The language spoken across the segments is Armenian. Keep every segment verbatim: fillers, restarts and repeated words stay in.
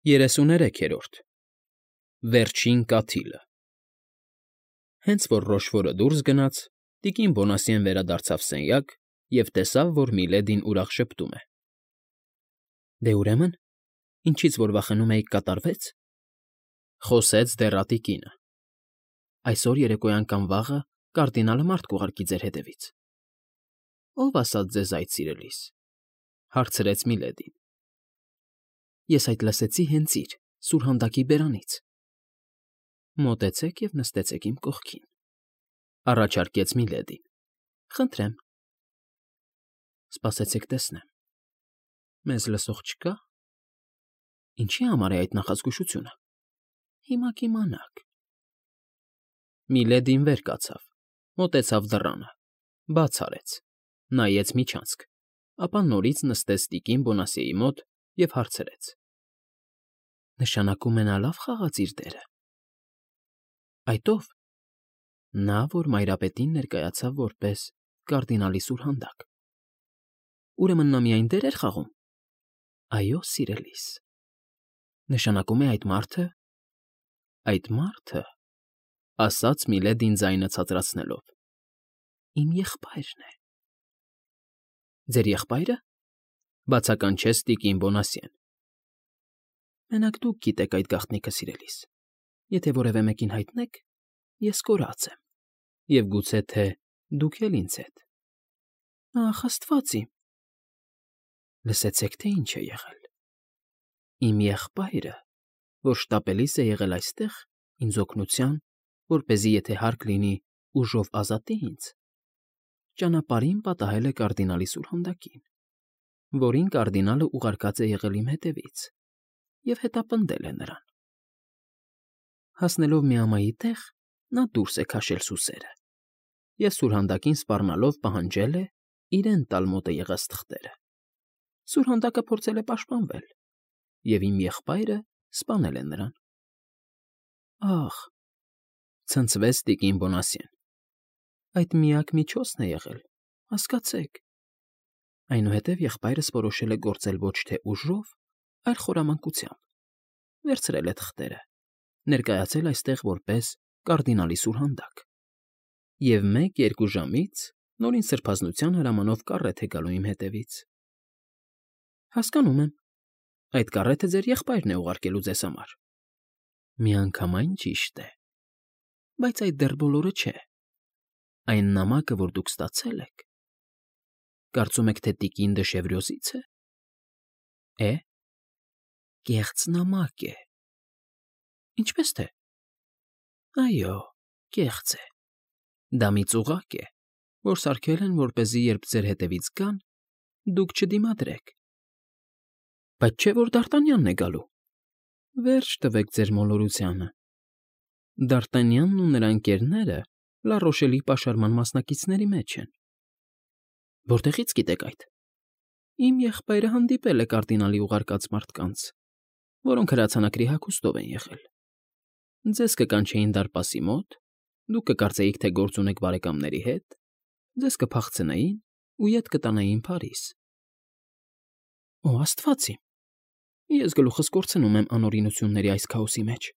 Երեսուներեքերորդ Վերջին կաթիլը Հենց որ Ռոշֆորը դուրս գնաց, տիկին Բոնասիեն վերադարձավ սենյակ և տեսավ, որ Միլեդին ուրախ շփտում է։ ֊ Դե ուրեմն, ինչից որ վախենում էիք, կատարվեց,֊ խոսեց դեռատի կինը։ ֊ Այսօր երեկոյան կամ վաղը կարդինալը մարդ կուղարկի ձեր հետևից։ ֊ Ո՞վ ասաց ձեզ այդ, սիրելիս,֊ հարցրեց Միլեդին։ ֊ Ես այդ լսեցի հենց իր՝ սուրհանդակի բերանից։ ֊ Մոտեցեք և նստեցեք իմ կողքին,֊ առաջարկեց Միլեդին։ ֊ Խնդրեմ։ ֊ Սպասեցեք տեսնեմ, մեզ լսող չկա՞։ ֊ Ինչի՞ համար է այդ նախազգուշությունը։ ֊ Հիմա կիմանաք։ Միլեդին վեր կացավ, մոտեցավ դռանը, բաց արեց, նայեց միջանցք, ապա նորից նստեց տիկին Բոնասիեի մոտ և հարցրեց. ֊ Նշանակում է նա լավ խաղաց իր դերը։ ֊ Այդ ո՞վ։ ֊ Նա, որ մայրապետին ներկայացավ որպես կարդինալի սուրհանդակ։ ֊ Ուրեմն նա միայն դե՞ր էր խաղում։ ֊ Այո, սիրելիս։ ֊ Նշանակում է այդ մարդը… Այդ մարդը, ֊ ասաց Միլեդին ձայնը ցածրացնելով,֊ իմ եղբայրն է։ ֊ Ձեր եղբայրը,֊ բացականչեց տիկին Բոնասիեն։ ֊ Մենակ դուք գիտեք այդ գաղտնիքը, սիրելիս, եթե որևէ մեկին հայտնեք, ես կորած եմ, և գուցե թե դուք էլ ինձ հետ։ ֊ Ախ, աստված իմ… Լսեցե՞ք, թե ինչ է եղել։ Իմ եղբայրը, որ շտապելիս է եղել այստեղ ինձ օգնության, որպեսզի եթե հարկ լինի, ուժով ազատի ինձ, ճանապարհին պատահել է կարդինալի սուրհանդակին, որին կարդինալը ուղարկած է եղել իմ հետևից և հետապնդել է նրան։ Հասնելով միամայի տեղ, նա դուրս է քաշել սուսերը և սուրհանդակին սպառնալով պահանջել է իրեն տալ մոտը եղած թղթերը։ Սուրհանդակը փորձել է պաշտպանվել, և իմ եղբայրը սպանել է նրան։ ֊ Ախ,֊ ցնցվեց տիկին Բոնասիեն,֊ այդ միակ միջոցն է եղել, հասկացեք։ Այնուհետև եղբայրս որոշել է գործել ոչ թե ուժով, այլ խորամանկությամբ, վերցրել է թղթերը, ներկայացել այստեղ որպես կարդինալի սուրհանդակ և մեկ֊երկու ժամից նորին սրբազնության հրամանով կառետ է գալու իմ հետևից։ ֊ Հասկանում եմ, այդ կառեթը ձեր եղբայրն է ուղարկելու ձեզ համար։ ֊ Միանգամայն ճիշտ է, բայց այդ դեռ բոլորը չէ։ Այն նամակը, որ դուք ստացել եք… Կարծում եք, թե տիկին Դշևրյոզի՞ց է։ ֊ Է՞… Կեղծ նամակ է։ ֊ Ինչպե՞ս թե։ ֊ Այո, կեղծ է։ Դա մի ծուղակ է, որ սարքել են, որպեսզի երբ ձեր հետևից գան, դուք չդիմադրեք։ ֊ Բայց չէ՞ որ Դարտանյանն է գալու։ ֊ Վերջ տվեք ձեր մոլորությանը… Դարտանյանն ու նրա ընկերները Լառոշելի պաշարման մասնակիցների մեջ են։ ֊ Որտեղի՞ց գիտեք այդ։ ֊ Իմ եղբայրը հանդիպել է կարդինալի ուղարկած մարդկանց, որոնք հրացանակրի հագուստով են եղել։ Ձեզ կկանչեին դարպասի մոտ, դուք կկարծեիք, թե գործ ունեք բարեկամների հետ, ձեզ կփախցնեին ու ետ կտանեին Փարիզ։ ֊ Օ, աստված իմ… Ես գլուխս կորցնում եմ անօրինությունների այս քաոսի մեջ…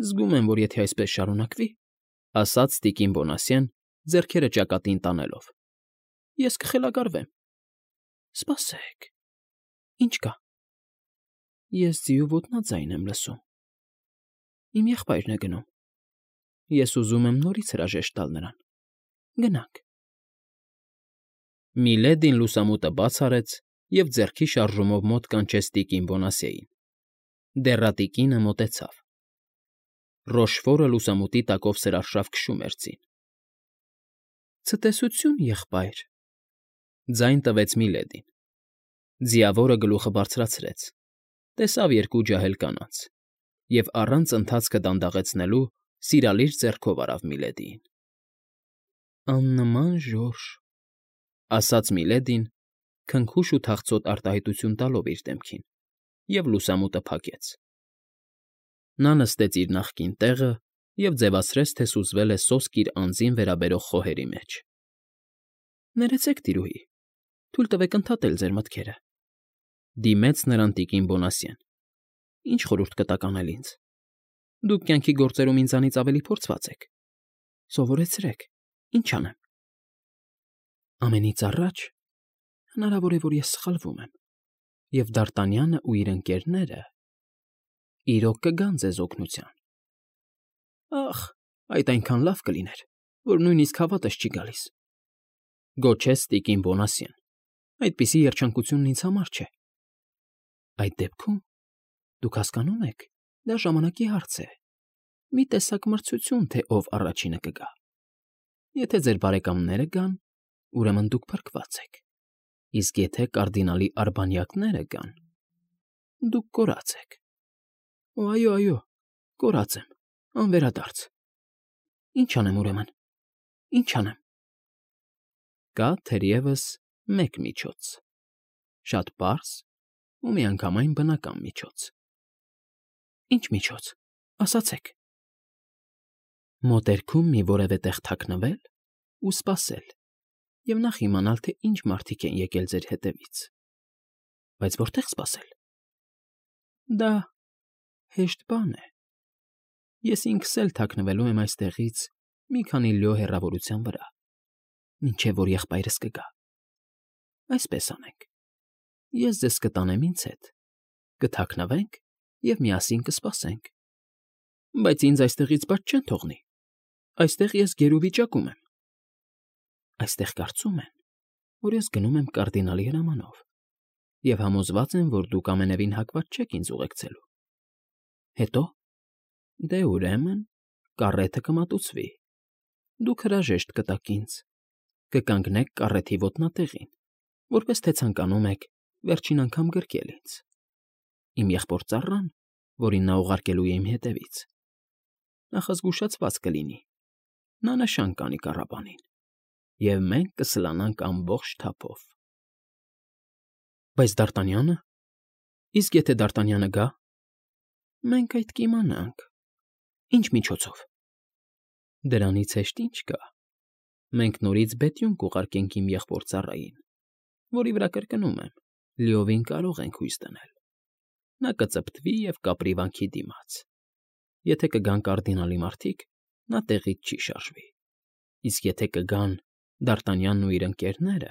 Զգում եմ, որ եթե այսպես շարունակվի, ֊ ասաց տիկին Բոնասիեն, ձեռքերը ճակատին տանելով, ֊ ես կխելագարվեմ։ ֊ Սպասեք… Ինչ կա։ ֊ Ես ձիու ոտնաձայն եմ լսում… Իմ եղբայրն է գնում… Ես ուզում եմ նորից հրաժեշտ տալ նրան… Գնանք… Միլեդին լուսամուտը բաց արեց և ձեռքի շարժումով մոտ կանչեց տիկին Բոնասիեին։ Դեռատի կինը մոտեցավ։ Ռոշֆորը լուսամուտի տակով սրարշավ քշում էր ձին։ ֊ Ցտեսություն, եղբայր,֊ ձայն տվեց Միլեդին։ Ձիավորը գլուխը բարձրացրեց, տեսավ երկու ջահել կանանց և առանց ընթացքը դանդաղեցնելու սիրալիր ձեռքով արավ Միլեդիին։ ֊ Աննման ժորժ,֊ ասաց Միլեդին, քնքուշ ու թախծոտ արտահայտություն տալով իր դեմքին, և լուսամուտը փակեց։ Նա նստեց իր նախկին տեղը և ձևացրեց, թե սուզվել է սոսկ իր անձին վերաբերող խոհերի մեջ։ ֊ Ներեցեք, տիրուհի, թույլ տվեք ընդհատել ձեր մտքերը,֊ դիմեց նրան տիկին Բոնասիեն։ Ինչ խորհուրդ կտաք անել ինձ։ Դուք կյանքի գործերում ինձանից ավելի փորձված եք։ Սովորեցրեք, ինչ անեմ։ Ամենից առաջ հնարավոր է, որ ես սխալվում եմ, և Դարտանյանը ու իր ընկերները իրոք կգան ձեզ օգնության։ Ախ, այդ այնքան լավ կլիներ, որ նույնիսկ հավատս չի գալիս, գոչեց տիկին Բոնասյեն։ Այդպիսի երջանկությունն ինձ համար չէ։ Այդ դեպքում, դուք հասկանում եք, դա ժամանակի հարց է, մի տեսակ մրցություն, թե ով առաջինը կգա։ Եթե ձեր բարեկամները գան, ուրեմն դուք փրկված եք, իսկ եթե կարդինալի արբանյակները գան, դուք կորած եք։ Օ, այո, այո, կորած եմ, անվերադարձ։ Ինչ անեմ ուրեմն, ինչ անեմ։ Կա թերևս մեկ միջոց, շատ պարզ ու միանգամայն բնական միջոց։ Ինչ միջոց, ասացեք։ Մոտերքում մի որևէ տեղ թաքնվել ու սպասել, և նախ իմանալ, թե ինչ մարդիկ են եկել ձեր հետևից։ Բայց որտե՞ղ սպասել։ Դա հեշտ բան է։ Ես ինքս էլ թաքնվելու եմ այստեղից մի քանի լյո հեռավորության վրա, մինչև որ եղբայրս կգա։ Այսպես անենք. ես ձեզ կտանեմ ինձ հետ, կթաքնվենք և միասին կսպասենք։ Բայց ինձ այստեղից բաց չեն թողնի, այստեղ ես գերու վիճակում եմ։ Այստեղ կարծում են, որ ես գնում եմ կարդինալի հրամանով, և համոզված են, որ դուք ամենևին հակված չեք ինձ ուղեկցելու։ Հետո՞։ Դե ուրեմն կառեթը կմատուցվի, դուք հրաժեշտ կտաք ինձ, կկանգնեք կառեթի ոտնատեղին, որպես թե ցանկանում եք վերջին անգամ գրկել ինձ։ Իմ եղբոր ծառան, որին նա ուղարկելու է իմ հետևից, նախազգուշացված կլինի, նա նշան կանի կառապանին, և մենք կսլանանք ամբողջ թափով։ Բայց Դարտանյա՞նը։ Իսկ եթե Դարտանյանը գա։ Մենք այդ կիմանանք։ Ինչ միջոցով։ Դրանից հեշտ ինչ կա։ Մենք նորից բետյուն կուղարկենք իմ եղբոր ծառային, որի վրա կրկնում եմ, լիովին կարող ենք հույս դնել։ Նա կծպտվի և կապրի վանքի դիմաց։ Եթե կգան կարդինալի մարդիկ, նա տեղից չի շարժվի, իսկ եթե կգան Դարտանյանն ու իր ընկերները,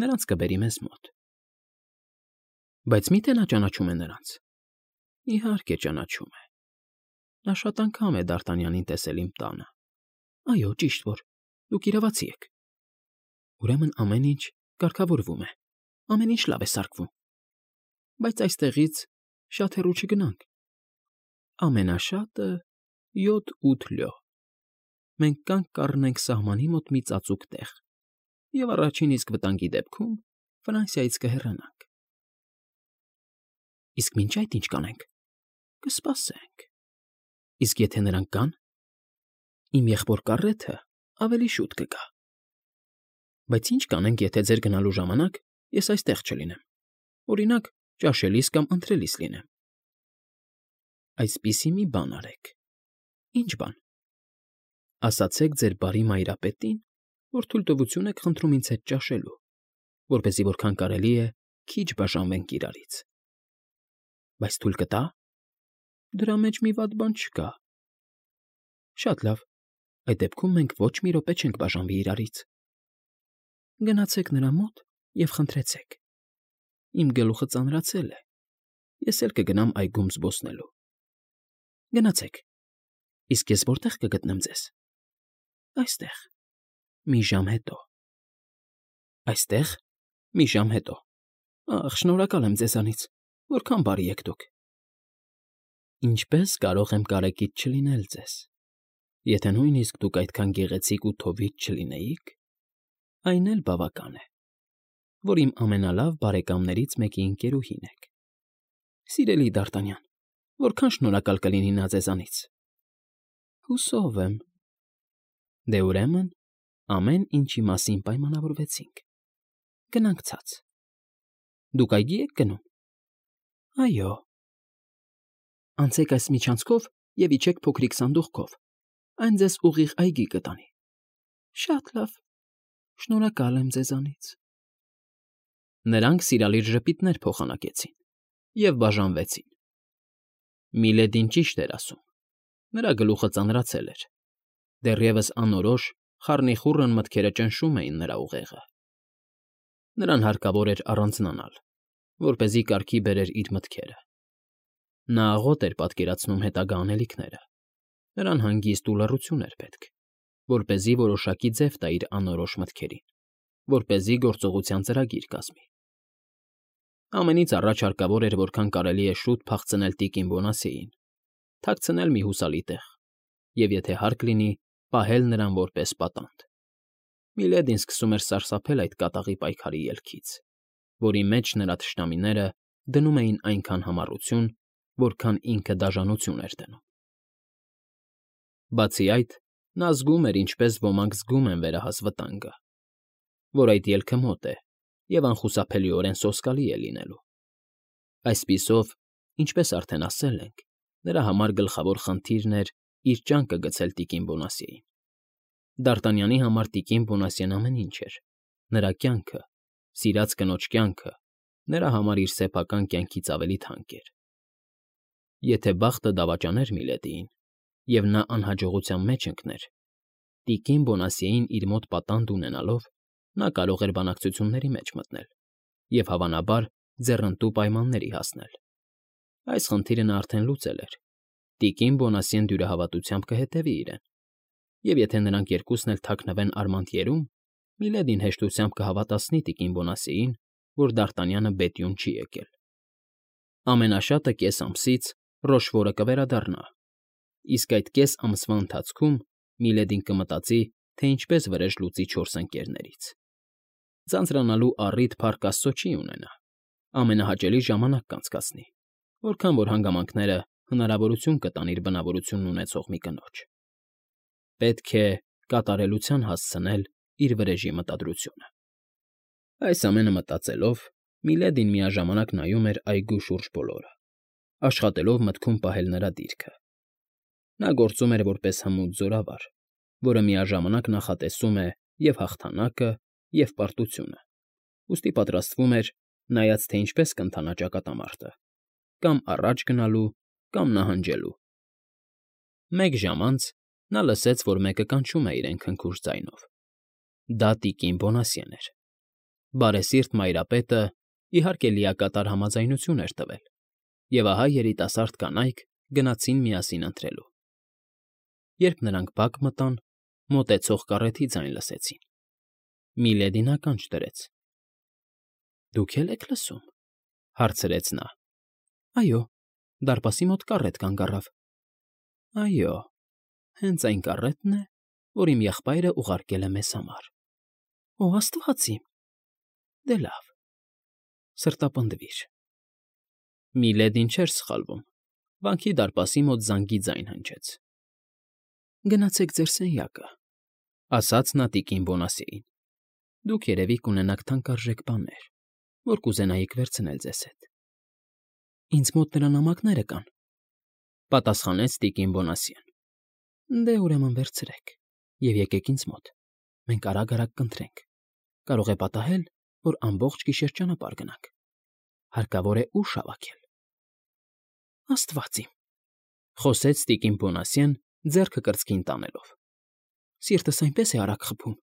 նրանց կբերի մեզ մոտ։ Բայց մի՞թե նա ճանաչում է նրանց։ Իհարկե ճանաչում է։ Նա շատ անգամ է Դարտանյանին տեսել իմ տանը։ Այո, ճիշտ որ, դուք իրավացի եք։ Ուրեմն ամեն ինչ կարգավորվում է, ամեն ինչ լավ է սարքվում։ Բայց այստեղից շատ հեռու չգնանք։ Ամենաշատը յոթ֊ութ լյո։ Մենք կանգ կառնենք սահմանի մոտ մի ծածուկ տեղ, և առաջին իսկ վտանգի դեպքում Ֆրանսիայից կհեռանանք։ Իսկ մինչ այդ ինչ կանենք։ Կսպասենք։ Իսկ եթե նրանք գան, իմ եղբոր կառեթը ավելի շուտ կգա։ Բայց ինչ կանենք, եթե ձեր գնալու ժամանակ ես այստեղ չլինեմ, օրինակ, ճաշելիս կամ ընթրելիս լինեմ։ Այսպիսի մի բան արեք։ Ինչ բան։ Ասացեք ձեր բարի մայրապետին, որ թույլտվություն եք խնդրում ինձ հետ ճաշելու, որպեսզի որքան կարելի է քիչ բաժանվենք իրարից։ Բայց թույլ կտա՞։ Դրա մեջ մի վատ բան չկա։ Շատ լավ, այդ դեպքում մենք ոչ մի րոպե չենք բաժանվի իրարից։ Գնացեք նրա մոտ և խնդրեցեք։ Իմ գլուխը ծանրացել է, ես էլ կգնամ այգում զբոսնելու։ Գնացեք։ Իսկ ես որտե՞ղ կգտնեմ ձեզ։ Այստեղ, մի ժամ հետո։ Այստեղ, մի ժամ հետո։ Ախ, շնորհակալ եմ ձեզանից, որքան բարի եք դուք։ Ինչպե՞ս կարող եմ կարեկից չլինել ձեզ։ Եթե նույնիսկ դուք այդքան գեղեցիկ ու թովիչ չլինեիք, այն էլ բավական է, որ իմ ամենալավ բարեկամներից մեկի ընկերուհին եք։ Սիրելի Դարտանյան, որքան շնորհակալ կլինի նա ձեզանից։ Հուսով եմ։ Դե ուրեմն ամեն ինչի մասին պայմանավորվեցինք։ Գնանք ցած։ Դուք այգի եք գնում։ Այո։ Անցեք այս միջանցքով և իջեք փոքրիկ սանդուղքով, այն ձեզ ուղիղ այգի կտանի։ Շատ լավ, շնորհակալ եմ ձեզանից։ Նրանք սիրալիր ժպիտներ փոխանակեցին և բաժանվեցին։ Միլեդին ճիշտ էր ասում. նրա գլուխը ծանրացել էր, դեռևս անորոշ, խառնիխուռն մտքերը ճնշում էին նրա ուղեղը։ Նրան հարկավոր էր առանձնանալ, որպեսզի կարգի բերեր իր մտքերը։ Նա աղոտ էր պատկերացնում հետագա անելիքները, նրան հանգիստ ու լռություն էր պետք, որպեսզի որոշակի ձև տա իր անորոշ մտքերին, որպեսզի գործողության ծրագիր կազմի։ Ամենից առաջ հարկավոր էր որքան կարելի է շուտ փախցնել տիկին Բոնասիեին, թաքցնել մի հուսալի տեղ և, եթե հարկ լինի, պահել նրան որպես պատանդ։ Միլեդին սկսում էր սարսափել այդ կատաղի պայքարի ելքից, որի մեջ նրա թշնամիները դնում էին այնքան համառություն, որքան ինքը դաժանություն էր դնում։ Բացի այդ, նա զգում էր, ինչպես ոմանք զգում են վերահաս վտանգը, որ այդ ելքը մոտ է և անխուսափելիորեն սոսկալի է լինելու։ Այսպիսով, ինչպես արդեն ասել ենք, նրա համար գլխավոր խնդիրն էր իր ճանկը գցել տիկին Բոնասիեին։ Դ'Արտանյանի համար տիկին Բոնասիեն ամեն ինչ էր, նրա կյանքը, սիրած կնոջ կյանքը, նրա համար իր սեփական կյանքից ավելի թանկ էր։ Եթե բախտը դավաճաներ Միլեդիին, և նա անհաջողության մեջ ընկներ, տիկին Բոնասիեին իր մոտ պատանդ ունենալով, նա կարող էր բանակցությունների մեջ մտնել և, հավանաբար, ձեռնտու պայմանների հասնել։ Այս խնդիրը նա արդեն լուծել էր. տիկին Բոնասիեն դյուրահավատությամբ կհետևի իրեն, և եթե նրանք երկուսն էլ թաքնվեն Արմանտիերում, Միլեդին հեշտությամբ կհավատացնի տիկին Բոնասիեին, որ Դ'Արտանյանը բետյուն չի եկել։ Ամենաշատը կես ամսից Ռոշվորը կվերադառնա, իսկ այդ կես ամսվա ընթացքում Միլեդին կմտածի, թե ինչպես վրեժ լուծի չորս ընկներներից։ Ձանձրանալու առիթ, փառք աստծո, չի ունենա, ամենահաճելի ժամանակ կանցկացնի, որքան որ հանգամանքները հնարավորություն կտան իր բնավորությունն ունեցող մի կնոջ։ Պետք է կատարելության հասցնել իր վրեժի մտադրությունը։ Այս ամենը մտածելով, Միլեդին միաժամանակ նայում էր այգու շուրջ բոլորը, աշխատելով մտքում պահել նրա դիրքը։ Նա գործում էր որպես հմուտ զորավար, որը միաժամանակ նախատեսում է և հաղթանակը, և պարտությունը, ուստի պատրաստվում էր, նայած թե ինչպես կընթանա ճակատամարտը, կամ առաջ գնալու, կամ նահանջելու։ Մեկ ժամ անց նա լսեց, որ մեկը կանչում է իրեն քնքուշ ձայնով. դա տիկին Բոնասիեն էր։ Բարեսիրտ մայրապետը, իհարկե, լիակատար համաձայնություն էր տվել, և ահա երիտասարդ կանայք գնացին միասին ընթրելու։ Երբ նրանք բակ մտան, մոտեցող կառեթի ձայն լսեցին։ Միլեդին ականջ դրեց։ ֊ Դուք է՞լ եք լսում,֊ հարցրեց նա։ ֊ Այո, դարպասի մոտ կառետ կանգ առավ։ ֊ Այո, հենց այն կառետն է, որ իմ եղբայրը ուղարկել է մեզ համար։ ֊ Օ, աստվածի՜մ… Դե լավ, սրտապնդվիր… Միլեդին չէր սխալվում, վանքի դարպասի մոտ զանգի ձայն հնչեց։ ֊ Գնացեք ձեր սենյակը,֊ ասաց նա տիկին Բոնասիեին։ ֊ Դուք, երևի, կունենաք թանկարժեք բաներ, որ կուզենայիք վերցնել ձեզ հետ։ ֊ Ինձ մոտ նրա նամակները կան,֊ պատասխանեց տիկին Բոնասիեն։ ֊ Դե, ուրեմն, վերցրեք և եկեք ինձ մոտ, մենք արագ֊արագ կընթրենք, կարող է պատահել, որ ամբողջ գիշեր ճանապարհ գնանք, հարկավոր է ուժ հավաքել։ ֊ Աստված իմ,֊ խոսեց տիկին Բոնասիեն, ձեռքը կրծքին տանելով,֊ սիրտս այնպես է արագ խփում,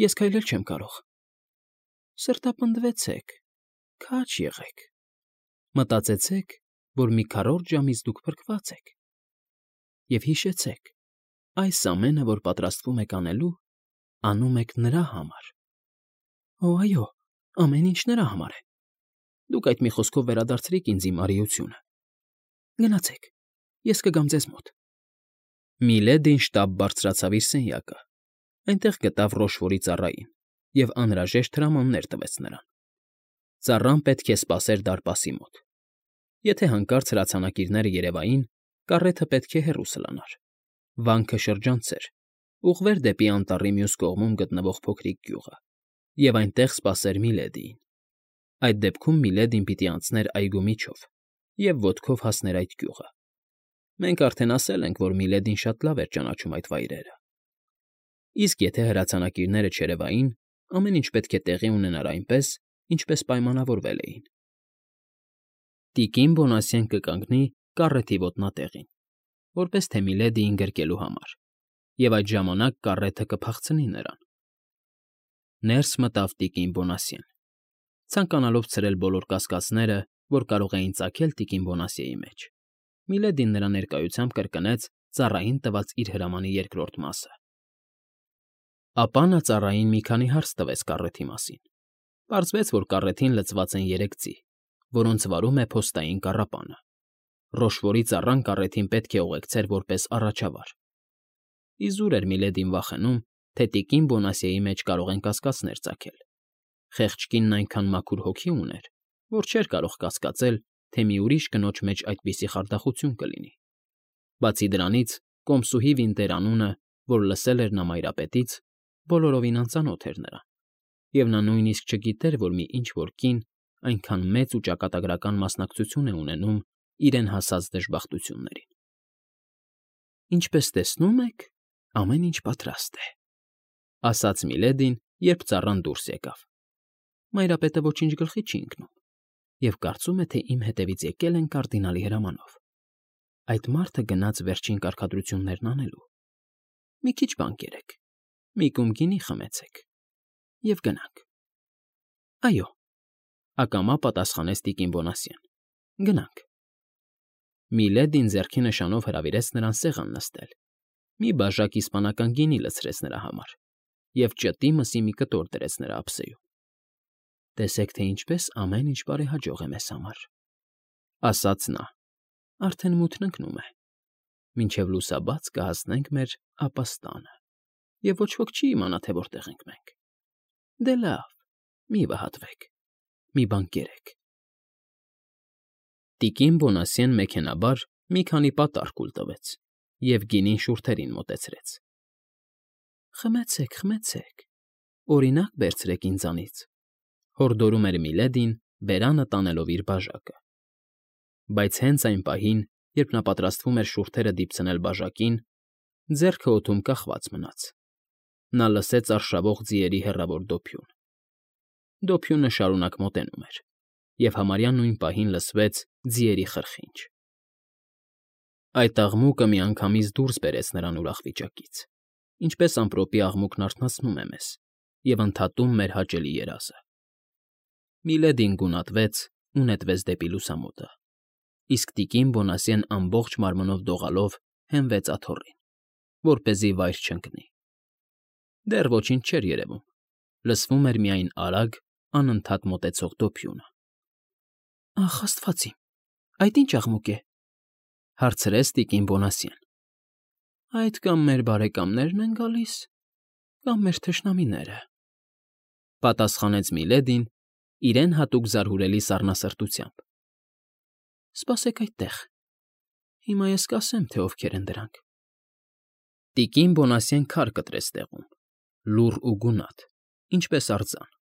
ես քայլել չեմ կարող։ ֊ Սրտապնդվեցեք, քաջ եղեք, մտածեցեք, որ մի քառորդ ժամից դուք փրկված եք, և հիշեցեք, այս ամենը, որ պատրաստվում եք անելու, անում եք նրա համար։ ֊ Օ, այո, ամեն ինչ նրա համար է։ Դուք այդ մի խոսքով վերադարձրիք ինձ իմ արիությունը։ Գնացեք, ես կգամ ձեզ մոտ։ Միլեդին շտապ բարձրացավ իր սենյակը, այնտեղ գտավ Ռոշվորի ծառային և անհրաժեշտ հրամաններ տվեց նրան։ Ծառան պետք է սպասեր դարպասի մոտ։ Եթե հանկարծ հրացանակիրները երևային, կառեթը պետք է հեռու սլանար, վանքը շրջանցեր, ուղղվեր դեպի անտառի մյուս կողմում գտնվող փոքրիկ գյուղը և այնտեղ սպասեր Միլեդիին։ Այդ դեպքում Միլեդին պիտի անցներ այգու միջով և ոտքով հասներ այդ գյուղը։ Մենք արդեն ասել ենք, որ Միլեդին շատ լավ էր ճանաչում այդ վայրերը։ Իսկ եթե հրացանակիրները չերևային, ամեն ինչ պետք է տեղի ունենար այնպես, ինչպես պայմանավորվել էին։ Տիկին Բոնասիեն կկանգնի կառեթի ոտնատեղին, որպես թե Միլեդիին գրկելու համար, և այդ ժամանակ կառեթը կփախցնի նրան։ Ներս մտավ տիկին Բոնասիեն, ցանկանալով ցրել բոլոր կասկածները, որ կարող էին ծագել տիկին Բոնասիեի մեջ։ Միլեդին նրա ներկայությամբ կրկնեց ծառային տված իր հրամանի երկրորդ մասը։ Ապա նա ծառային մի քանի հարց տվեց կառեթի մասին։ Պարզվեց, որ կառեթին լցված են երեք ձի, որոնց վարում է փոստային կառապանը։ Ռոշվորի ծառան կառեթին պետք է ուղեկցեր որպես առաջավար։ Իզուր էր Միլեդին վախենում, թե տիկին Բոնասիեի մեջ կարող են կասկածներ ծագել։ Խեղճ կինն այնքան մաքուր հոգի ուներ, որ չէր կարող կասկածել, թե մի ուրիշ կնոջ մեջ այդպիսի խարդախություն կլինի։ Բացի դրանից, կոմսուհի Վինտեր անունը, որ լսել էր նա մայրապետից, բոլորովին անծանոթ էր նրան, և նա նույնիսկ չգիտեր, որ մի ինչ֊որ կին այնքան մեծ ու ճակատագրական մասնակցություն է ունենում իրեն հասած դժբախտություններին։ «Ինչպես տեսնում եք, ամեն ինչ պատրաստ է», ֊ ասաց Միլեդին, երբ ծառան դուրս եկավ։ «Մայրապետը ոչինչ գլխի չի ընկնում և կարծում է, թե իմ հետևից եկել են կարդինալի հրամանով։ Այդ մարդը գնաց վերջին կարգադրություններն անելու։ Մի քիչ բան կերեք, մի կում գինի խմեցեք և գնանք»։ «Այո», ֊ ակամա պատասխանեց տիկին Բոնասիեն, «գնանք»։ Միլեդին ձեռքի նշանով հրավիրեց նրան սեղան նստել, մի բաժակ իսպանական գինի լցրեց նրա համար և ճտի մսի մի կտոր դրեց նրա ափսեում։ «Տեսեք, թե ինչպես ամեն ինչ բարեհաջող է մեզ համար», ֊ ասաց նա, ֊ «արդեն մութն ընկնում է։ Մինչև լուսաբաց կհասնենք մեր ապաստանը, և ոչ ոք չի իմանա, թե որտեղ ենք մենք։ Դե լավ, մի վհատվեք, մի բան կերեք»։ Տիկին Բոնասիեն մեքենայաբար մի քանի պատառ կուլ տվեց և գինին շուրթերին մոտեցրեց։ «Խմեցեք, խմեցեք, օրինակ վերցրեք ինձանից», ֊ հորդորում էր Միլեդին, բերանը տանելով իր բաժակը։ Բայց հենց այն պահին, երբ նա պատրաստվում էր շուրթերը դիպցնել բաժակին, ձեռքը օդում կախված մնաց։ Նա լսեց արշավող ձիերի հեռավոր դոփյուն։ Դոփյունը շարունակ մոտենում էր, և համարյա նույն պահին լսվեց ձիերի խրխինջ։ Այդ աղմուկը միանգամից դուրս բերեց նրան ուրախ վիճակից, ինչպես ամպրոպի աղմուկն արթնացնում է մեզ և ընդհատում մեր հաճելի երազը։ Միլեդին գունատվեց ու նետվեց դեպի լուսամուտը, իսկ տիկին Բոնասիեն ամբողջ մարմնով դողալով հենվեց աթոռին, որպեսզի վայր չընկնի։ Դեռ ոչինչ չէր երևում, լսվում էր միայն արագ, անընդհատ մոտեցող դոփյունը։ «Ախ, աստված իմ, այդ ի՞նչ աղմուկ է», ֊ հարցրեց տիկին Բոնասիեն։ «Այդ կամ մեր բարեկամներն են գալիս, կամ մեր թշնամիները», ֊ պատասխանեց Միլեդին իրեն հատուկ զարհուրելի սառնասրտությամբ։ «Սպասեք այդտեղ, հիմա ես կասեմ, թե ովքեր են դրանք»։ Տիկին Բոնասիեն քար կտրեց տեղում, լուռ ու գունատ, ինչպես արձան։